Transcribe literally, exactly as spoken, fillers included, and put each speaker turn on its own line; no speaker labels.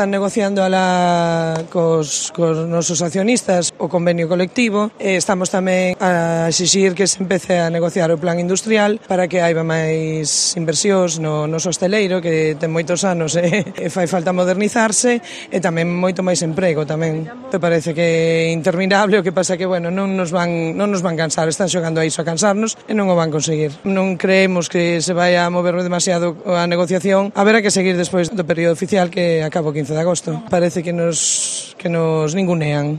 Están negociando alá cos, cos nosos accionistas o convenio colectivo e estamos tamén a exixir que se empece a negociar o plan industrial para que haiba máis inversións no noso hosteleiro que ten moitos anos e, e fai falta modernizarse e tamén moito máis emprego tamén. Me parece que é interminable, o que pasa que, bueno, non nos van, non nos van cansar, están xogando a iso a cansarnos e non o van conseguir. Non creemos que se vai a mover demasiado a negociación, haberá que seguir despois do período oficial que acaba o quince de agosto. Parece que nos, que nos ningunean.